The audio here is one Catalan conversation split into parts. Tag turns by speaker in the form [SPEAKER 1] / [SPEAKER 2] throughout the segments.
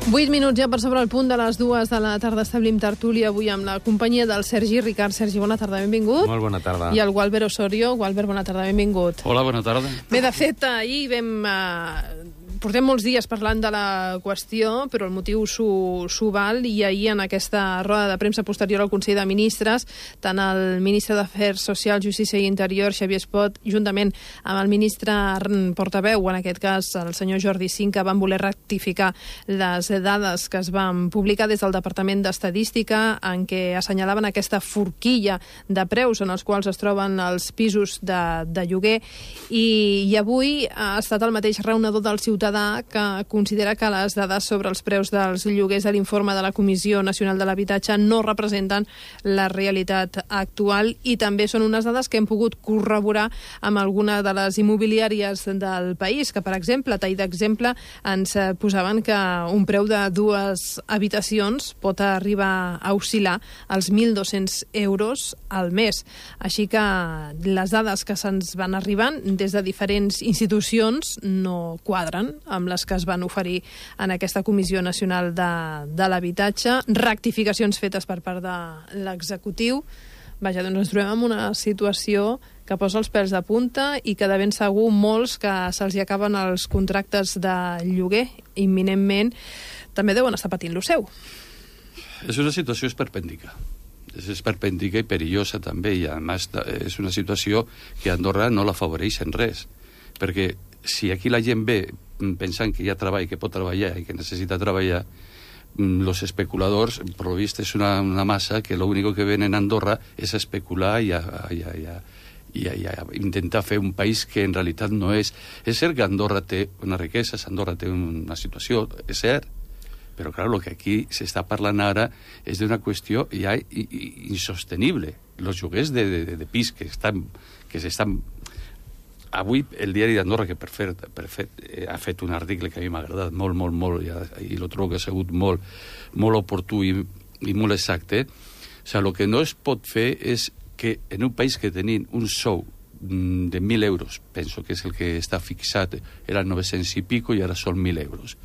[SPEAKER 1] 8 minuts ja per sobre el punt de les 2 de la tarda. Establim tertúlia avui amb la companyia del Sergi Ricard. Sergi, bona tarda, benvingut.
[SPEAKER 2] Molt bona tarda.
[SPEAKER 1] I el Gualber Osorio. Gualber, bona tarda, benvingut.
[SPEAKER 2] Hola, bona tarda.
[SPEAKER 1] Bé, de fet, ahir portem molts dies parlant de la qüestió, però el motiu s'ho val, i ahir en aquesta roda de premsa posterior al Consell de Ministres, tant el ministre d'Afers Socials, Justícia i Interior, Xavier Espot, juntament amb el ministre portaveu, en aquest cas el senyor Jordi Cinca, van voler rectificar les dades que es van publicar des del Departament d'Estadística, en què assenyalaven aquesta forquilla de preus en els quals es troben els pisos de lloguer, i avui ha estat el mateix raonador del ciutadà que considera que les dades sobre els preus dels lloguers de l'informe de la Comissió Nacional de l'Habitatge no representen la realitat actual, i també són unes dades que hem pogut corroborar amb alguna de les immobiliàries del país, que, per exemple, a tall d'exemple, ens posaven que un preu de 2 habitacions pot arribar a oscil·lar als 1.200 euros al mes. Així que les dades que se'ns van arribant des de diferents institucions no quadren amb les que es van oferir en aquesta Comissió Nacional de l'Habitatge. Rectificacions fetes per part de l'executiu. Vaja, doncs ens trobem en una situació que posa els pèls de punta i que de ben segur molts que se'ls hi acaben els contractes de lloguer imminentment també deuen estar patint lo seu.
[SPEAKER 2] És una situació esperpèntica. És esperpèntica i perillosa també, i a més és una situació que a Andorra no l'afavoreix en res, perquè si aquí la gent ve pensant que hi ha treball, que pot treballar i que necessita treballar, los especuladors, por lo visto, es una masa que lo único que ven en Andorra es a especular y a intentar fer un país que en realitat no és. És cert que Andorra té una riquesa, Andorra té una situació, és cert, però clar, el que aquí s'està parlant ara és d'una qüestió ja insostenible. Els lloguers de pis que s'estan... Avui el diari d'Andorra, que per fet ha fet un article que a mi m'ha agradat molt, i lo trobo que ha sigut molt oportú i molt exacte. O sigui, el que no es pot fer és que en un país que tenim un sou de 1.000 euros, penso que és el que està fixat, eren 900 i pico i ara són 1.000 euros.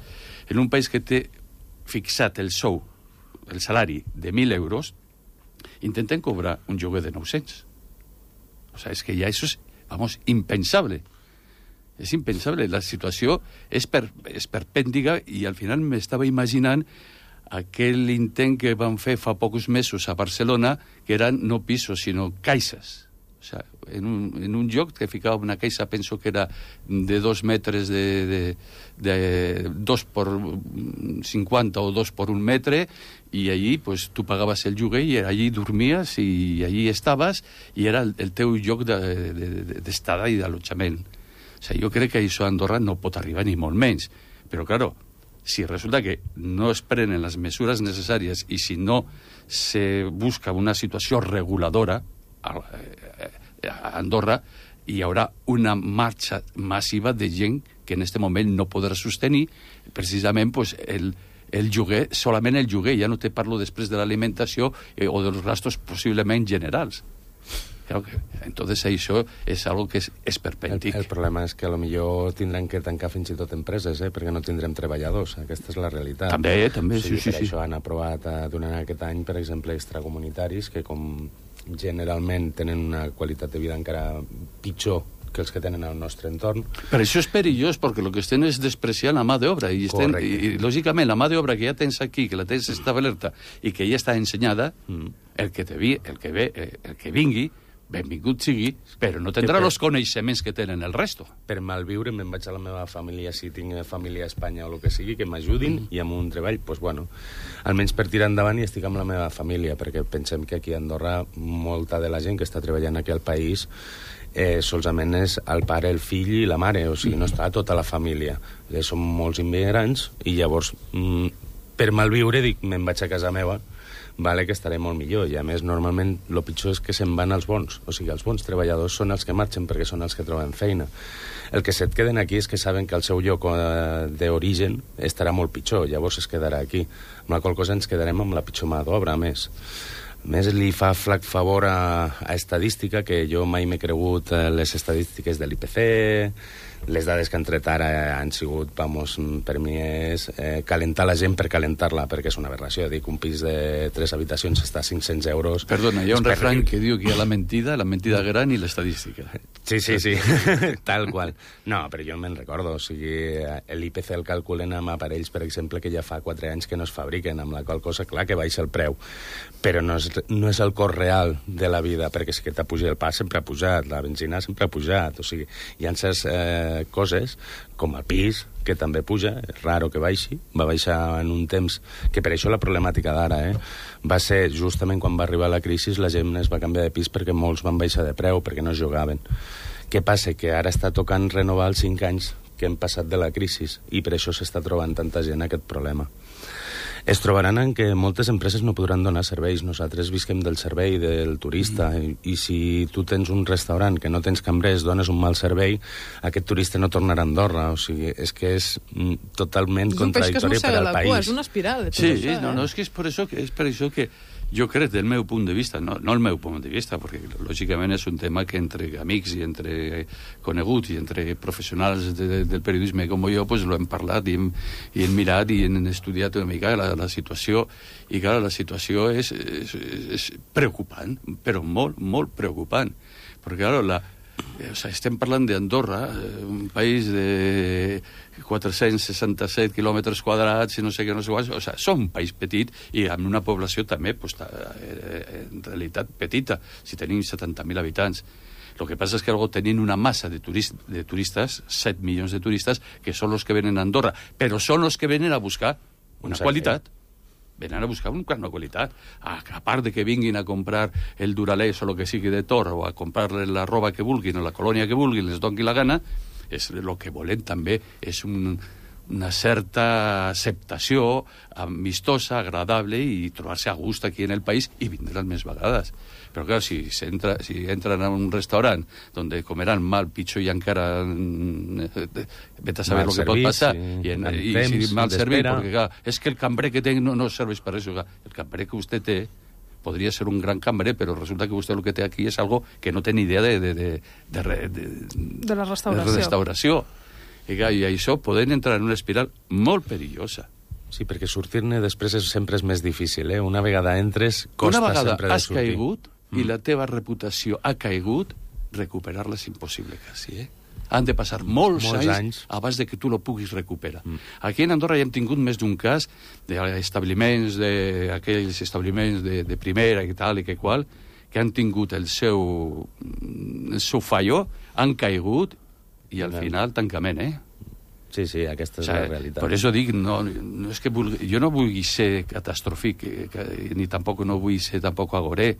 [SPEAKER 2] En un país que té fixat el sou, el salari de 1.000 euros, intenten cobrar un lloguer de 900. O sigui, és que ja això és impensable. És impensable. La situació és perpèntica, i al final m'estava imaginant aquell intent que van fer fa pocs mesos a Barcelona, que eren no pisos, sinó caixes. O sigui, en un lloc que ficava una caixa, penso que era de 2 metres de 2 por 50 o 2 por 1 metre, i allí pues, tu pagaves el lloguer i allí dormies i allí estaves, i era el teu lloc d'estada i d'allotjament. O sigui, jo crec que això a Andorra no pot arribar ni molt menys. Però, claro, si resulta que no es prenen les mesures necessàries i si no se busca una situació reguladora a Andorra, hi haurà una marxa massiva de gent que en aquest moment no podrà sostenir precisament pues, el lloguer, solament el lloguer. Ja no te parlo després de l'alimentació o dels gastos possiblement generals. Claro que, entonces això és algo que és esperpèntic.
[SPEAKER 3] El problema és que potser tindran que tancar fins i tot empreses, perquè no tindrem treballadors. Aquesta és la realitat.
[SPEAKER 2] També,
[SPEAKER 3] o sigui,
[SPEAKER 2] sí.
[SPEAKER 3] Per això han aprovat durant aquest any, per exemple, extracomunitaris, que com generalment tenen una qualitat de vida encara pitjor que els que tenen al nostre entorn.
[SPEAKER 2] Per això és perillós, perquè el que estem és despreciant la mà d'obra, i lògicament la mà d'obra que ja tens aquí, que la tens establerta i que ja està ensenyada, el que vingui, benvingut sigui, però no tindrà els coneixements que tenen el resto.
[SPEAKER 3] Per malviure me'n vaig a la meva família, si tinc família a Espanya o el que sigui, que m'ajudin, i amb un treball, doncs bueno, almenys per tirar endavant i estic amb la meva família, perquè pensem que aquí a Andorra molta de la gent que està treballant aquí al país solament és el pare, el fill i la mare, o sigui, no està tota la família. Som molts immigrants i llavors per malviure dic, me'n vaig a casa meva, vale, que estaré molt millor, i a més normalment el pitjor és que se'n van els bons, o sigui, els bons treballadors són els que marxen perquè són els que troben feina. El que se't queden aquí és que saben que el seu lloc d'origen estarà molt pitjor, llavors es quedarà aquí, amb la qual cosa ens quedarem amb la pitjor mà d'obra, a més. A més, li fa flac favor a estadística, que jo mai m'he cregut les estadístiques de l'IPC. Les dades que han tret ara han sigut, vamos, per mi és calentar la gent per calentar-la, perquè és una aberració. Dic, un pis de 3 habitacions està a 500 euros.
[SPEAKER 2] Perdona, hi ha un refrany que diu que hi ha la mentida gran i l'estadística.
[SPEAKER 3] Sí, tal qual. No, però jo me'n recordo. O sigui, l'IPC el calculen amb aparells, per exemple, que ja fa 4 anys que no es fabriquen, amb la qual cosa, clar, que baixa el preu. Però no és el cost real de la vida, perquè si que t'ha pujat el pa sempre ha pujat, la benzina sempre ha pujat. O sigui, hi ha certs coses, com el pis, que també puja, és raro que baixi, va baixar en un temps, que per això la problemàtica d'ara, va ser justament quan va arribar la crisi, la gent es va canviar de pis perquè molts van baixar de preu, perquè no es jugaven. Què passa? Que ara està tocant renovar els 5 anys que hem passat de la crisi, i per això s'està trobant tanta gent aquest problema. Es trobaran en que moltes empreses no podran donar serveis. Nosaltres visquem del servei del turista, i si tu tens un restaurant que no tens cambrers, dones un mal servei, aquest turista no tornarà a Andorra. O sigui, és que és totalment contradictori per al país.
[SPEAKER 1] És una espiral.
[SPEAKER 2] Sí, no, és que és per això que jo crec, del meu punt de vista, no el meu punt de vista, perquè lògicament és un tema que entre amics i entre coneguts i entre professionals del periodisme com jo, pues lo hem parlat i hem mirat i hem estudiat una mica la situació, i clar, la situació és preocupant, però molt, molt preocupant, perquè clar, estem parlant d'Andorra, un país de 467 quilòmetres quadrats i no sé què, no sé quants, o sigui, som un país petit i amb una població també, pues, en realitat petita, si tenim 70.000 habitants. El que passa és que tenim una massa de turistes, 7 milions de turistes, que són els que venen a Andorra, però són els que venen a buscar una qualitat. Venen a buscar una qualitat. A part de que vinguin a comprar el Duralès o el que sigui de Tor, o a comprar la roba que vulguin, o la colònia que vulguin, les doni la gana, el que volen també és una certa acceptació amistosa, agradable, i trobar-se a gust aquí en el país i vindran més vegades. Però clar, si entran a un restaurant on comeran mal, pitjor i encara vet a saber el que pot passar, i si mal servit, perquè clar, és que el cambrer que té no serveix per res. El cambrer que vostè té podria ser un gran cambrer, però resulta que vostè el que té aquí és algo que no té ni idea de
[SPEAKER 1] la restauració.
[SPEAKER 2] I això poden entrar en una espiral molt perillosa.
[SPEAKER 3] Sí, perquè sortir-ne després sempre és més difícil, Una vegada entres, costa sempre de sortir.
[SPEAKER 2] Una vegada has caigut i la teva reputació ha caigut, recuperar-la és impossible quasi, Han de passar molts anys abans de que tu lo puguis recuperar. Aquí en Andorra ja hem tingut més d'un cas d'establiments, d'aquells establiments de primera i tal i que qual, que han tingut el seu fallo, han caigut i al final tancament,
[SPEAKER 3] Sí, aquesta és la realitat.
[SPEAKER 2] Per això dic, no és que jo no vull ser catastròfic, ni tampoc no vull ser tampoc agoré.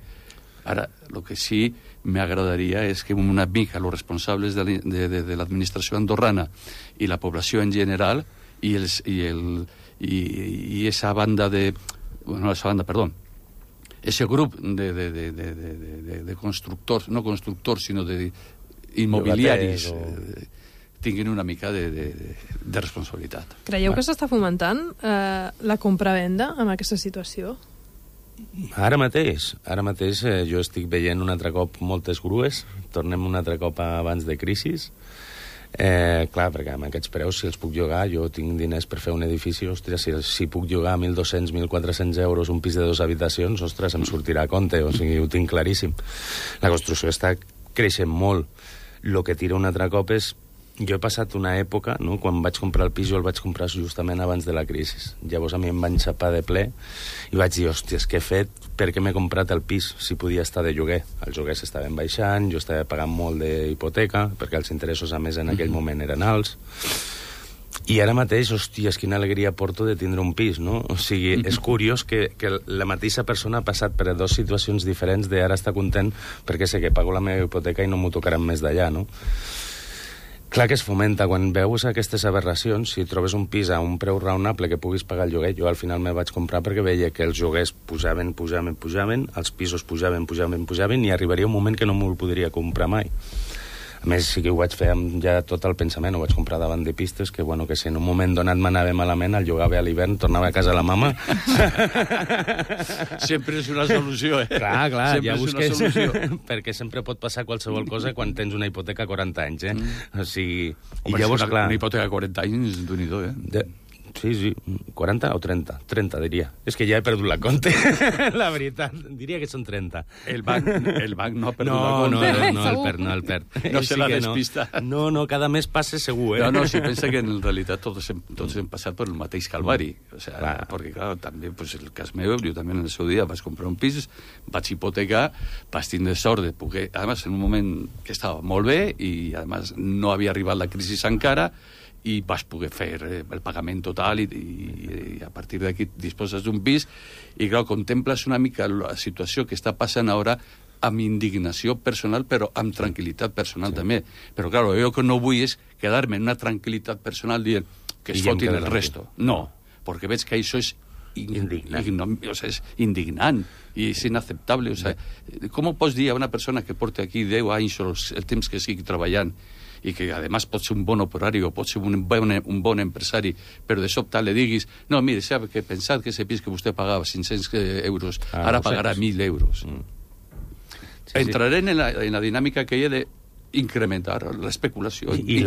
[SPEAKER 2] Ara, el que sí m'agradaria és que una mica els responsables de l'administració andorrana i la població en general i esa banda ese grup de constructors, no constructors, sinó d'immobiliaris, tinguin una mica de responsabilitat.
[SPEAKER 1] Creieu que s'està fomentant la compra-venda en aquesta situació?
[SPEAKER 3] Ara mateix jo estic veient un altre cop moltes grues, tornem un altre cop abans de crisi. Clar, perquè amb aquests preus, si els puc llogar, jo tinc diners per fer un edifici, ostres, si puc llogar 1.200, 1.400 euros un pis de 2 habitacions, ostres, em sortirà a compte, o sigui, ho tinc claríssim. La construcció està creixent molt. El que tira un altre cop és... Jo he passat una època, quan vaig comprar el pis, jo el vaig comprar justament abans de la crisi. Llavors a mi em van xapar de ple i vaig dir, hòsties, què he fet? Per què m'he comprat el pis si podia estar de lloguer? Els lloguers estaven baixant, jo estava pagant molt d'hipoteca, perquè els interessos, a més, en aquell moment eren alts. I ara mateix, hòsties, quina alegria porto de tindre un pis, no? O sigui, és curiós que la mateixa persona ha passat per 2 situacions diferents d'ara està content perquè sé que pago la meva hipoteca i no m'ho tocaran més d'allà, no? Clar que es fomenta. Quan veus aquestes aberracions, si trobes un pis a un preu raonable que puguis pagar el lloguer, jo al final me vaig comprar perquè veia que els lloguers pujaven, els pisos pujaven, i arribaria un moment que no me'l podria comprar mai. A més, sí que ho vaig fer amb ja tot el pensament, ho vaig comprar davant de pistes, que, bueno, que si en un moment donat m'anava malament, el llogava a l'hivern, tornava a casa la mama.
[SPEAKER 2] Sempre és una solució,
[SPEAKER 3] Clar,
[SPEAKER 2] sempre
[SPEAKER 3] ja
[SPEAKER 2] és
[SPEAKER 3] busques...
[SPEAKER 2] una solució.
[SPEAKER 3] Perquè sempre pot passar qualsevol cosa quan tens una hipoteca a 40 anys, O sigui...
[SPEAKER 2] Home,
[SPEAKER 3] I llavors, clar...
[SPEAKER 2] Una hipoteca a 40 anys, d'un-i-do,
[SPEAKER 3] Sí, 40 o 30? 30, diria. És que ja he perdut la compte, la veritat. Diria que són 30.
[SPEAKER 2] El banc no ha perdut la compte.
[SPEAKER 3] No el perd.
[SPEAKER 2] No se la despista.
[SPEAKER 3] No, cada mes passa segur,
[SPEAKER 2] No, si pensa que en realitat tots hem passat per el mateix calvari. O sea, perquè, clar, també, pues, el cas meu, jo també en el seu dia vaig comprar un pis, vaig hipotecar, vaig tindre sort de poder, además, en un moment que estava molt bé i, además, no havia arribat la crisi encara, i vas poder fer el pagament total i a partir d'aquí disposes d'un pis i, clar, contemples una mica la situació que està passant ara amb indignació personal, però amb tranquil·litat personal també. Però, clar, jo que no vull és quedar-me en una tranquil·litat personal dient que es fotin el resto. No, perquè veig que això és és indignant i és inacceptable. O sea, com pots dir a una persona que porta aquí 10 anys o el temps que sigui treballant i que, a més, pot ser un bon operari o pot ser un bon empresari, però de sobte li diguis, no, mire, sap que pensat que ese pis que vostè pagava 500 euros, ara pagarà 1.000 euros. Entraré en la dinàmica que hi ha d'incrementar l'especulació.
[SPEAKER 3] I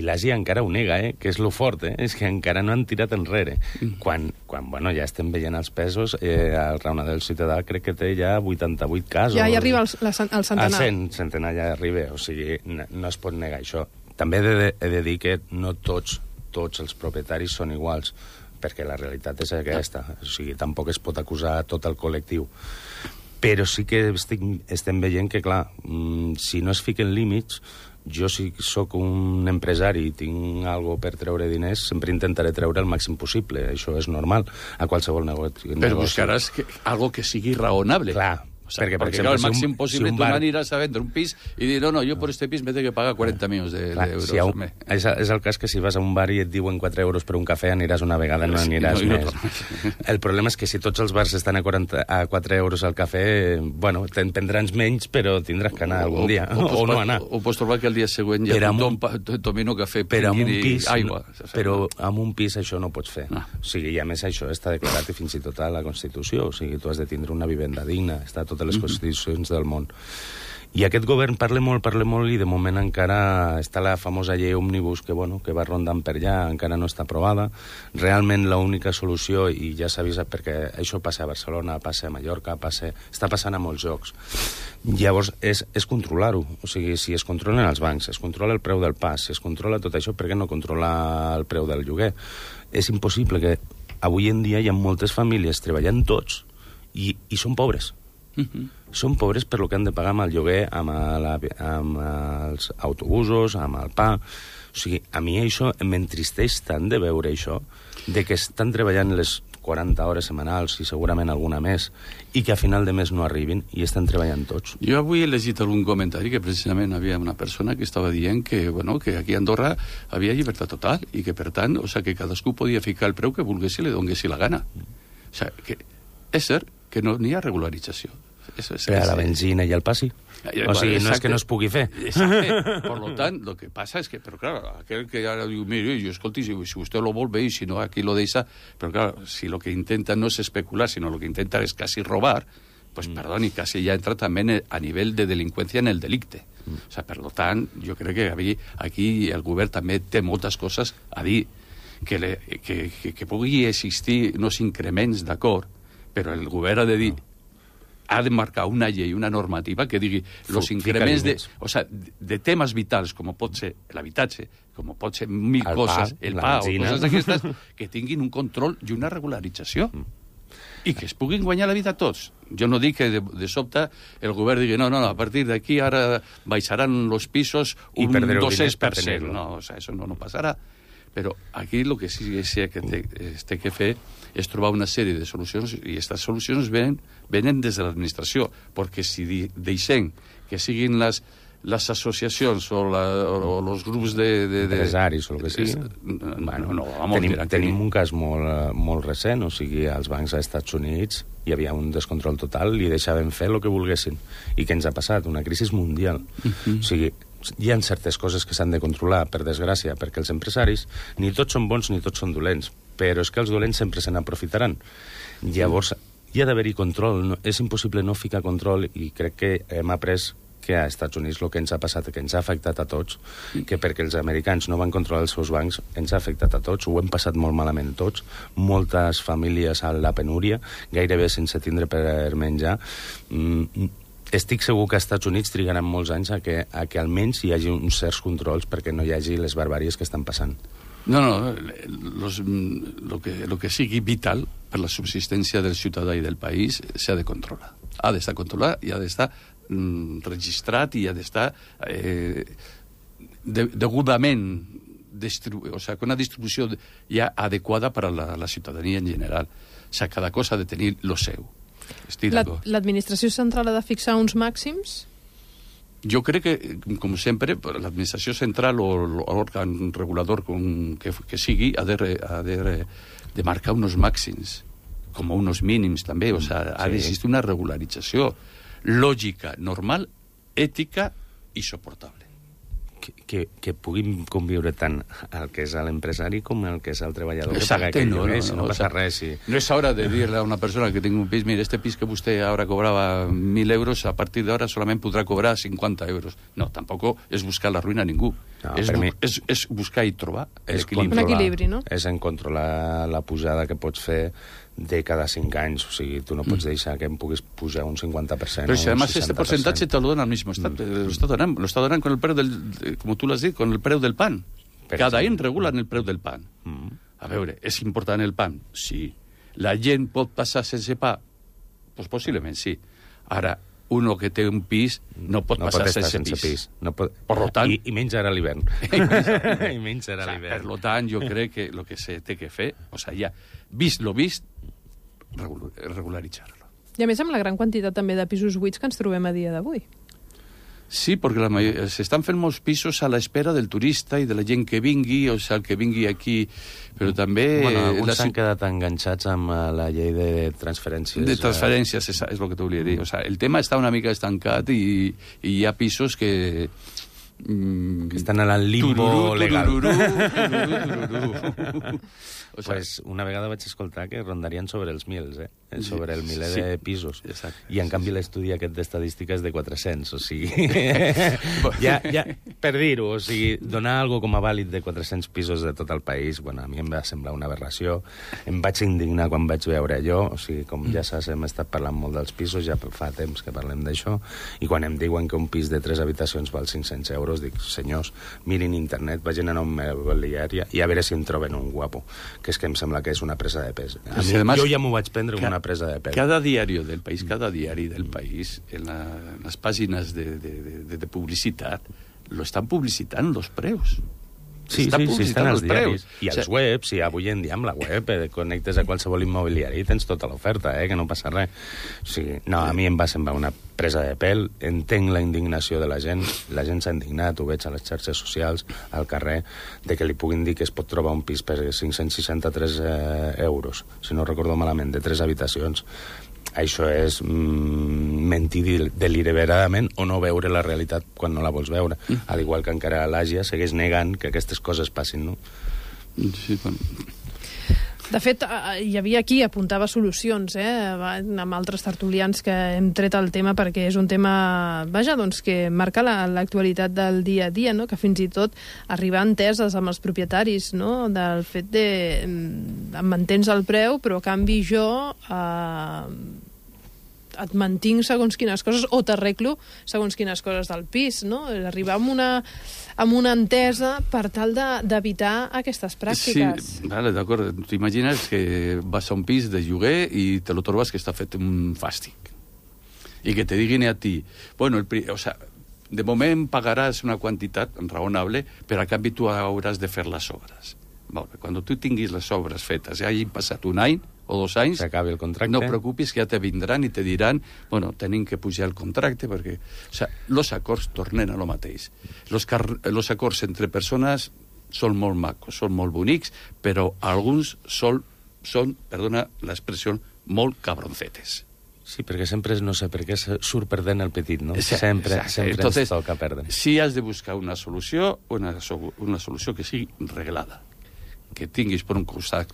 [SPEAKER 3] l'Àsia encara ho nega, que és lo fort, és que encara no han tirat enrere. Quan bueno, ja estem veient els pesos, el Raona del Ciutadà crec que té ja 88 casos.
[SPEAKER 1] Ja hi arriba el centenar.
[SPEAKER 3] El centenar ja arriba, o sigui, no es pot negar això. També he de dir que no tots els propietaris són iguals, perquè la realitat és aquesta, o sigui, tampoc es pot acusar tot el col·lectiu. Però sí que estem veient que, clar, si no es fiquen límits, jo si sóc un empresari i tinc alguna per treure diners, sempre intentaré treure el màxim possible. Això és normal a qualsevol negoci.
[SPEAKER 2] Però buscaràs algo que sigui raonable.
[SPEAKER 3] Clar.
[SPEAKER 2] O sea, perquè, per exemple, el màxim possible tu aniràs a vendre un pis i dir, no, jo per este pis me tengo que pagar 40 milions d'euros.
[SPEAKER 3] És el cas que si vas a un bar i et diuen 4 euros per un cafè, aniràs una vegada, no aniràs més. El problema és que si tots els bars estan a 4 euros al cafè, bueno, te'n prendràs menys, però tindràs que anar algun dia, o no anar.
[SPEAKER 2] O pots trobar que el dia següent ja tomino cafè i aigua.
[SPEAKER 3] Però amb un pis això no pots fer. O sigui, i a més això està declarat fins i tot a la Constitució. O sigui, tu has de tindre una vivenda digna, està totes les constitucions del món. I aquest govern parla molt, i de moment encara està la famosa llei òmnibus que va rondant per allà, encara no està aprovada. Realment l'única solució, i ja s'ha vist perquè això passa a Barcelona, passa a Mallorca, està passant a molts llocs. Llavors és controlar-ho. O sigui, si es controlen els bancs, es controla el preu del pas, si es controla tot això, per què no controlar el preu del lloguer? És impossible que avui en dia hi ha moltes famílies treballant tots i són pobres. Són pobres per lo que han de pagar amb el lloguer, amb els autobusos, amb el pa. O sigui, a mi això m'entristeix tant de veure això, de que estan treballant les 40 hores setmanals i segurament alguna més, i que a final de mes no arribin i estan treballant tots.
[SPEAKER 2] Jo avui he llegit algun comentari que precisament havia una persona que estava dient que aquí a Andorra havia llibertat total i que, per tant, que cadascú podia ficar el preu que volgués i li dongués la gana. O sigui, que és cert que no n'hi ha regularització.
[SPEAKER 3] Per a la benzina i el passi. O sigui, no és que no es pugui fer.
[SPEAKER 2] Exacte. Por lo tant, lo que passa és que, però clar, aquell que ara diu, mire, jo escolti, si vostè lo vol bé i si no, aquí lo deixa, però clar, si lo que intenta no és especular, sinó lo que intenta és casi robar, pues perdoni, casi ja entra també a nivell de delinqüència en el delicte. O sea, per lo tant, jo crec que aquí el govern també té moltes coses a dir, que pugui existir uns increments, d'acord, però el govern ha de dir, ha de marcar una llei, una normativa que digui els increments de temes vitals, com pot ser l'habitatge, com pot ser mil coses, el pa o coses d'aquestes, que tinguin un control i una regularització. I que es puguin guanyar la vida tots. Jo no dic que de sobte el govern digui no, a partir d'aquí ara baixaran els pisos un 200%. No, això no passarà. Però aquí el que sí que té que fer és trobar una sèrie de solucions, i aquestes solucions venen des de l'administració, perquè si deixem que siguin les associacions o els grups
[SPEAKER 3] d'empresaris o el que sigui, tenim un cas molt recent, o sigui, als bancs als Estats Units hi havia un descontrol total i deixaven fer el que volguessin. I què ens ha passat? Una crisi mundial. O sigui, hi ha certes coses que s'han de controlar, per desgràcia, perquè els empresaris ni tots són bons ni tots són dolents, però és que els dolents sempre se n'aprofitaran. Llavors, hi ha d'haver-hi control. No, és impossible no ficar control, i crec que hem après que a Estats Units el que ens ha passat, que ens ha afectat a tots, que perquè els americans no van controlar els seus bancs, ens ha afectat a tots, ho hem passat molt malament tots, moltes famílies a la penúria, gairebé sense tindre per menjar. Estic segur que als Estats Units trigaran molts anys a que almenys hi hagi uns certs controls perquè no hi hagi les barbàries que estan passant.
[SPEAKER 2] No, lo que sigui vital per la subsistència del ciutadà i del país s'ha de controlar. Ha d'estar controlat i ha d'estar registrat i ha d'estar degudament o sea, con una distribució ja adequada per a la ciutadania en general. O sea, cada cosa ha de tenir lo seu.
[SPEAKER 1] L'administració central ha de fixar uns màxims?
[SPEAKER 2] Jo crec que, com sempre, l'administració central o l'òrgan regulador que sigui ha de marcar uns màxims, com uns mínims també. O sea, ha d'existir una regularització lògica, normal, ètica i soportable.
[SPEAKER 3] Que puguin conviure tant el que és l'empresari com el que és el treballador.
[SPEAKER 2] Exacte, no
[SPEAKER 3] passa res.
[SPEAKER 2] No és hora de dir-le a una persona que tingui un pis, mira, este pis que vostè ara cobrava 1.000 euros, a partir d'ara solament podrà cobrar 50 euros. No, tampoc és buscar la ruïna a ningú. No, és buscar i trobar
[SPEAKER 1] un equilibri, no?
[SPEAKER 3] És en controlar la pujada que pots fer de cada 5 anys. O sigui, tu no pots deixar que em puguis pujar un 50%.
[SPEAKER 2] Pero si además este porcentaje te lo dona al mismo instante. Lo está donando con el precio como tú lo has dit, con el preu del pan. Cada any regulen el preu del pan. A veure, és important el pan? Sí. La gent pot passar sense pa? Pues possiblement sí. Ara, uno que té un pis no pot passar sense pis.
[SPEAKER 3] No pot...
[SPEAKER 2] Per tant...
[SPEAKER 3] I menys ara a l'hivern. I menys ara a l'hivern.
[SPEAKER 2] Per tant, jo crec que el que se té que fer, o sigui, ja, vist lo vist, regularitzar-lo.
[SPEAKER 1] I a més amb la gran quantitat també de pisos buits que ens trobem a dia d'avui.
[SPEAKER 2] Sí, perquè s'estan fent molts pisos a l'espera del turista i de la gent que vingui, o sigui, el que vingui aquí, però també...
[SPEAKER 3] Bueno, alguns s'han quedat enganxats amb la llei de transferències.
[SPEAKER 2] De transferències, és el que t'ho volia dir. O sigui, el tema està una mica estancat i hi ha pisos que
[SPEAKER 3] estan a la limbo legal.
[SPEAKER 2] O sea,
[SPEAKER 3] pues una vegada vaig escoltar que rondarien sobre els 1.000, sobre el miler de pisos.
[SPEAKER 2] Exacte.
[SPEAKER 3] I en canvi l'estudi aquest d'estadística és de 400, o sigui... ja, per dir-ho, o sigui, donar algo com a vàlid de 400 pisos de tot el país, bueno, a mi em va semblar una aberració. Em vaig indignar quan vaig veure allò, o sigui, com ja saps, hem estat parlant molt dels pisos, ja fa temps que parlem d'això, i quan em diuen que un pis de 3 habitacions val 500 euros, dic, senyors, mirin internet, vagin a una immobiliària i a veure si en troben un guapo, que és que em sembla que és una presa de pes. A mi, además, jo ja m'ho vaig prendre com una presa de pes.
[SPEAKER 2] Cada diari del país, en las páginas de publicitat, lo estan publicitant los preus.
[SPEAKER 3] Sí, estan els diaris. I els webs, i avui en dia amb la web connectes a qualsevol immobiliari i tens tota l'oferta, que no passa res. O sigui, no, a mi em va semblar una presa de pèl, entenc la indignació de la gent s'ha indignat, ho veig a les xarxes socials, al carrer, de que li puguin dir que es pot trobar un pis per 563 euros, si no recordo malament, de 3 habitacions. Això és mentir deliberadament o no veure la realitat quan no la vols veure. Al igual que encara l'Àsia segueix negant que aquestes coses passin, no?
[SPEAKER 2] Sí, bueno.
[SPEAKER 1] De fet, hi havia qui apuntava solucions, amb altres tertulians que hem tret el tema perquè és un tema, vaja, doncs, que marca l'actualitat del dia a dia, no? Que fins i tot arribar a enteses amb els propietaris, no? Del fet de em mantens el preu, però a canvi jo et mantinc segons quines coses o t'arreglo segons quines coses del pis, no? Arribar amb una entesa per tal d'evitar aquestes pràctiques.
[SPEAKER 2] Sí, vale, d'acord. T'imagines que vas a un pis de lloguer i te lo trobes que està fet un fàstic. I que te diguin a ti, bueno, o sea, de moment pagaràs una quantitat raonable, però a canvi tu hauràs de fer les obres. Bueno, quan tu tinguis les obres fetes i hagin passat un any o 2 anys,
[SPEAKER 3] s'acabi el contracte.
[SPEAKER 2] No preocupis, que ja te vindran i te diran, bueno, tenim que pujar el contracte, perquè, o sea, los acords tornen a lo mateix. Los acords entre persones són molt macos, són molt bonics, però alguns són, perdona l'expressió, molt cabroncetes.
[SPEAKER 3] Sí, perquè sempre, no sé per què, surt perdent el petit, no?
[SPEAKER 2] Sí,
[SPEAKER 3] sempre
[SPEAKER 2] entonces,
[SPEAKER 3] ens toca perdre.
[SPEAKER 2] Si has de buscar una solució que sigui reglada, que tinguis per un costat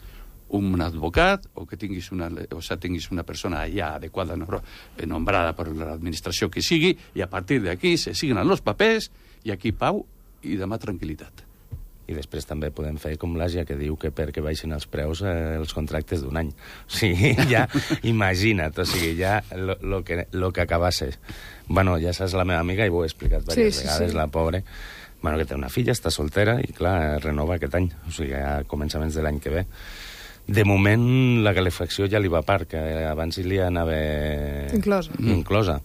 [SPEAKER 2] un advocat o que tinguis una persona allà adequada, nombrada per l'administració que sigui, i a partir d'aquí se signen els papers i aquí pau i demà tranquil·litat.
[SPEAKER 3] I després també podem fer com l'Àsia, que diu que perquè baixin els preus els contractes d'un any. O sigui, ja imagina't, o sigui, ja lo que acabase. Bueno, ja saps la meva amiga, i ho he explicat diverses vegades, la pobra, bueno, que té una filla, està soltera, i clar, renova aquest any, o sigui, a començaments de l'any que ve. De moment, la calefacció ja li va a part, que abans li anava inclosa.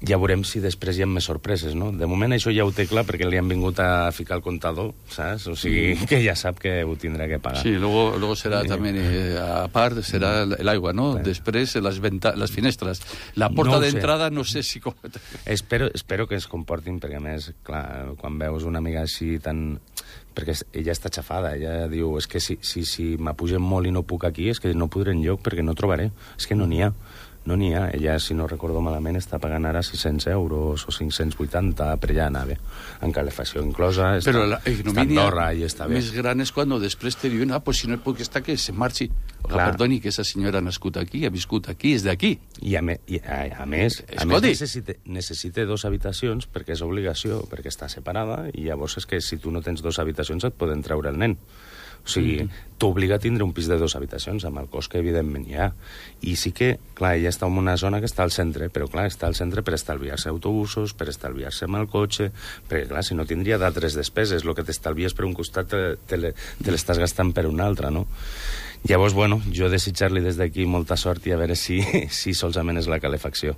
[SPEAKER 3] Ja veurem si després hi ha més sorpreses, no? De moment això ja ho té clar perquè li han vingut a ficar el comptador, saps? O sigui, que ja sap que ho tindrà que pagar.
[SPEAKER 2] Sí, luego será también, a part, será el aigua, ¿no? Després, les finestres. La porta d'entrada, no sé si...
[SPEAKER 3] Espero que es comportin, perquè a més, clar, quan veus una amiga així tan... Perquè ella està xafada, ella diu, és que si m'apugen molt i no puc aquí, és que no podré enlloc perquè no trobaré. És que no n'hi ha. No n'hi ha. Ella, si no recordo malament, està pagant ara 600 euros o 580, però ja anava en calefacció inclosa, està a Andorra i està bé.
[SPEAKER 2] Més gran és quan després te diuen, pues si no puc estar, que se marxi. Perdoni, que esa senyora ha nascut aquí, ha viscut aquí, és d'aquí.
[SPEAKER 3] I a més necessita 2 habitacions perquè és obligació, perquè està separada, i llavors és que si tu no tens 2 habitacions et poden treure el nen. O sigui, t'obliga a tindre un pis de 2 habitacions, amb el cost que evidentment hi ha. I sí que, clar, ella està en una zona que està al centre, però clar, està al centre per estalviar-se autobusos, per estalviar-se amb el cotxe, perquè clar, si no tindria d'altres despeses, el que t'estalvies per un costat te l'estàs gastant per un altre, no? Llavors, bueno, jo desitjar-li des d'aquí molta sort i a veure si solament és la calefacció.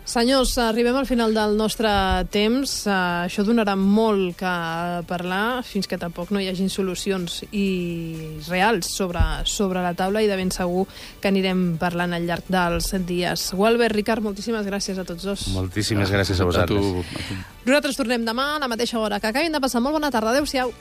[SPEAKER 1] Senyors, arribem al final del nostre temps. Això donarà molt que parlar fins que tampoc no hi hagin solucions reals sobre la taula, i de ben segur que anirem parlant al llarg dels dies. Gualbert, Ricard, moltíssimes gràcies a tots dos.
[SPEAKER 3] Moltíssimes gràcies a vosaltres.
[SPEAKER 1] Nosaltres tornem demà a la mateixa hora. Que acabin de passar molt bona tarda. Adéu-siau.